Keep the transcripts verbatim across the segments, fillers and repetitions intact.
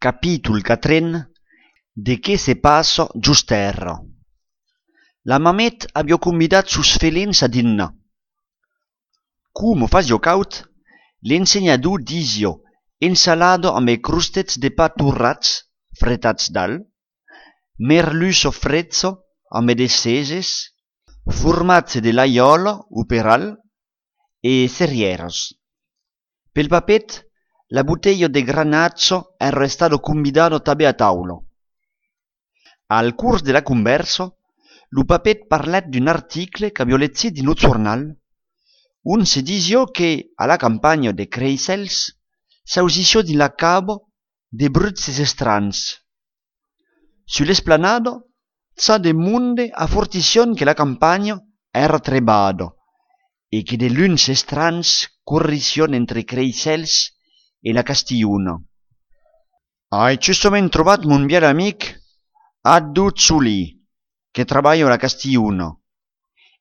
Capítol quatren de què se passa giusterra. La mamet aviò convidat sus felins a dinnar. Como fasio caut, l'ensenyador disio ensalada amb crustets de pa torrats, fretats dalt, merluço frezzo amb de seses, formazze de l'aiola uperal e serrieros. Pel papet, la bottiglia de granazzo era stato convidato també a taulo. Al curs de la conversa, lo papet parlat d'un article che avio letto in un giornal, un se disio che alla campagna de Creisels s'ausisio di la cabo de brutzes estrans. Sull'esplanado, sa de munde a fortision che la campagna era trebado e che de luns estrans corrision entre Creisels e la Castigliuna. Hai giustament trobat mon bel amic Addu Zuli, che treballa alla Castigliuna,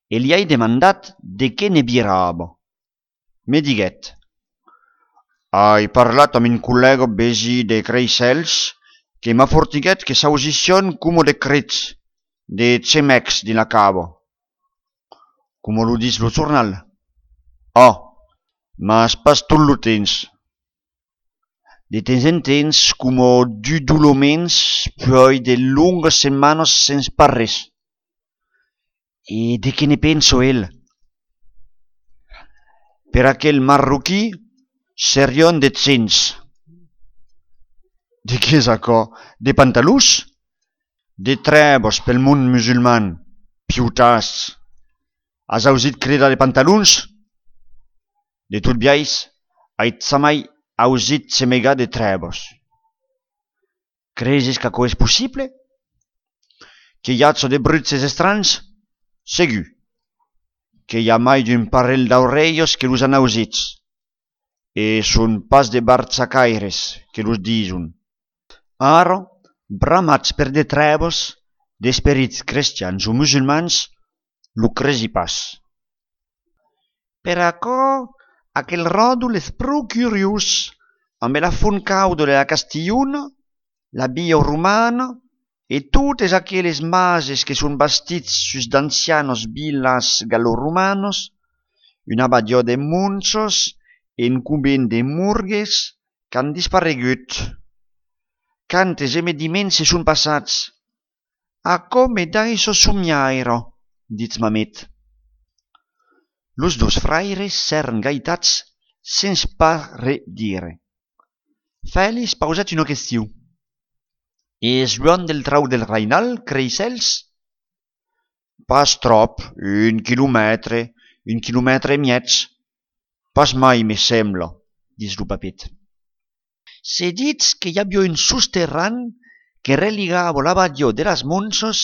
e gli hai demandat de què ne birava. Me diguet: hai parlat amb un collega besi de Creisels che m'ha fortiguet che s'ausition como de crits, de cemecs di la cabo. Como lo dis lo giornal? Oh, mas pas tot lo temps. De temps en temps, como du dolomens, poi de lungas setmanes sens parres. E de què ne penso el? Per aquel marroquí serion de cents. De què és això? De pantalús? De trebos pel món musulman, piutàs. Has ausit cridar de pantalons? De tot biais, ait samai ausit semega de trebos. Creses que això és possible? Que hi ha de brutzes estrans? Segur. Que hi ha mai d'un parell d'orellos que los han ausits. E són pas de barzacaires que los dison. Ara, bramats per de trebos, d'esperits cristians o musulmans, lo cresi pas. Per això, aquel ròdol és prou curiós, amb la font cauda de la Castigliuna, la via romana, e totes aquelles mases que són bastits sus d'ancianos villas galo-romanos, una abadia de monsos e un convent de murgues que han disparegut. Quantes emediments se són passats. A come d'això somiaire, dits mamet. Los dos fraires s'eren gaitats sens pas re dire. Fèlix pausat una qüestió. És lluny del trau del Reinal, Creisels? Pas trop, un quilòmetre, un quilòmetre i mig. Pas mai, me sembla, dis lo papet. Se dits que hi havia un sosterran que religava l'abadia de las Monsos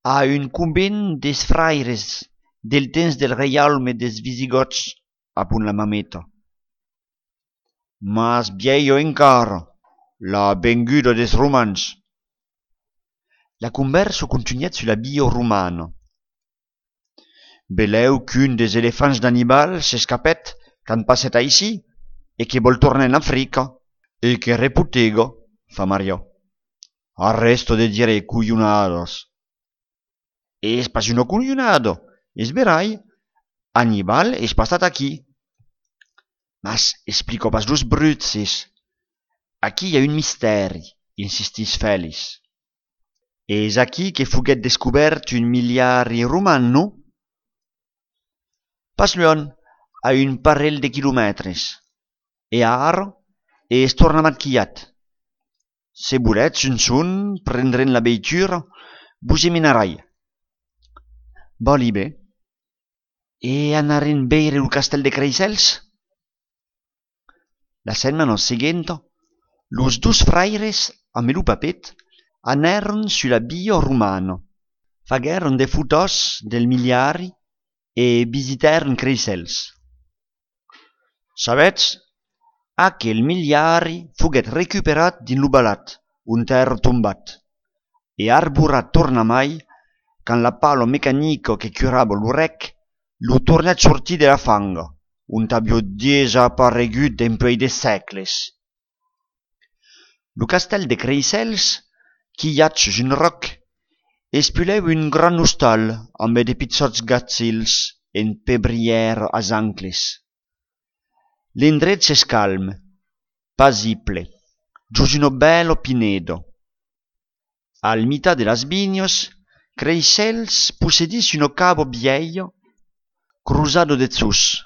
a un convent des fraires del temps del reialme des visigots, apunt la mameta. Mas viejo encara, la venguda des romans. La conversa continuat sulla via romana. Beleu qu'un des elefants d'Annibal s'escapet quand passet aicí e que vol tornar en Africa e que reputega, fa Maria. Arresto de dire cuglionadas. És pas una cuglionada, és verai. Annibal és passat aquí. Mas explico pas los brutzes. Aquí hi ha un misteri, insistís Fèlix. És aquí que foguet descobert un miliari roman, no? Pas lluny, a un parell de quilòmetres. E ara és torna maquillat. Se volets un son, prendrem la veitura, vos eminarai. Voli bé. E anaren veire el castell de Creisels? La setmana seguente, los dos fraires amb el papet anaren sulla via romana, fagueren de fotos del miliari e visitaren Creisels. Sabets, aquel miliari foguet recuperat din lo balat, un terra tombat, e arborat tornamai quand la pala mecanica que curava lo rec lo tornat sortir de la fanga, un aviò desaparegut d'empoi de sècles. Lo castell de Creixells, quilhat sus un roc, espuleu un gran hostal amb de pitsots gatzils en pebrièr as ancles. L'indret s'es calm, pasible, gius uno bello pinedo. Al mitad de las viños, Creixells possedís uno cabo viejo, cruzado de zus.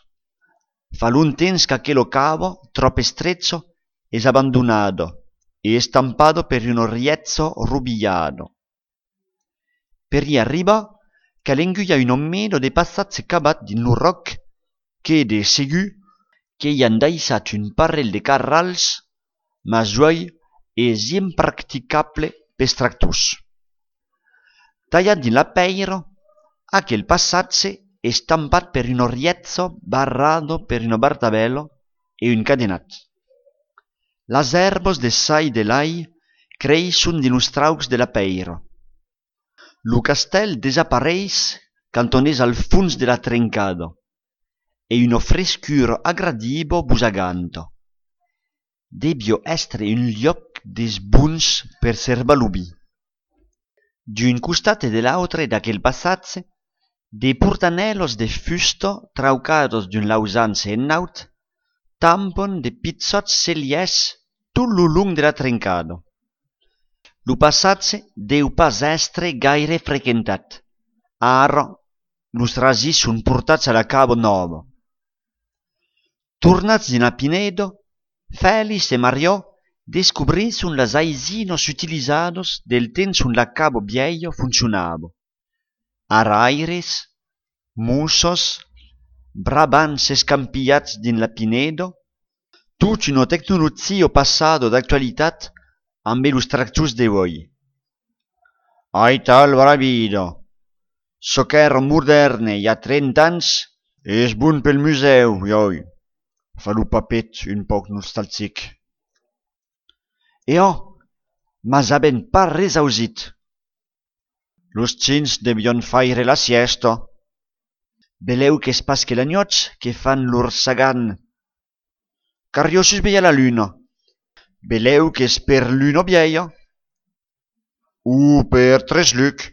Fa lun temps qu'aquelo cabo, trop estrecho, es abandonado e estampado per un riezzo rubillado. Per i arriba, cal'enguia un ommedo de passatse cabat din lo roc, qu'ede segu que i han daissat un parell de carrals, ma juoi es impracticable pes tractors. Tallat din la peiro, aquel passatse estampat per un riezzo barrado per un bartabello e un cadenat. Las erbos de sai de lai creixon din los traucs de la peiro. Lo castell desapareix quand on es al funs de la trencado e uno frescur agradibo busaganto. Debio estre un lloc des buns per serbalubi. D'un costat e de l'autre d'aquel passatge, de portanellos de fusto traucados d'un lausanze en naut tampon de pitsots celiers tot lo long de la trencado. Lo passatge deu pas estre gaire frequentat. Ara, los rasis son portats a la cabo novo. Tornats din a Pinedo, Félix e Mariò descubrisson las aisinos utilizados del temps on la cabo viejo funcionava. Araires, mussos, brabants escampillats din la Pinedo, tut una tecnologia passada d'actualitat amb los tractors de voi. Ai tal bravido, so qu'ère moderne hi ha trenta ans, és bon pel museu, ioi, fa lo papet un poc nostalgic. E oh, mas haben pas res ausit. Los chins debion faire la siesta. Beleu qu'es pas que l'agnots que fan lor sagan. Cariosus veia la luna. Beleu qu'es per l'una vieia. Ou per tres luc.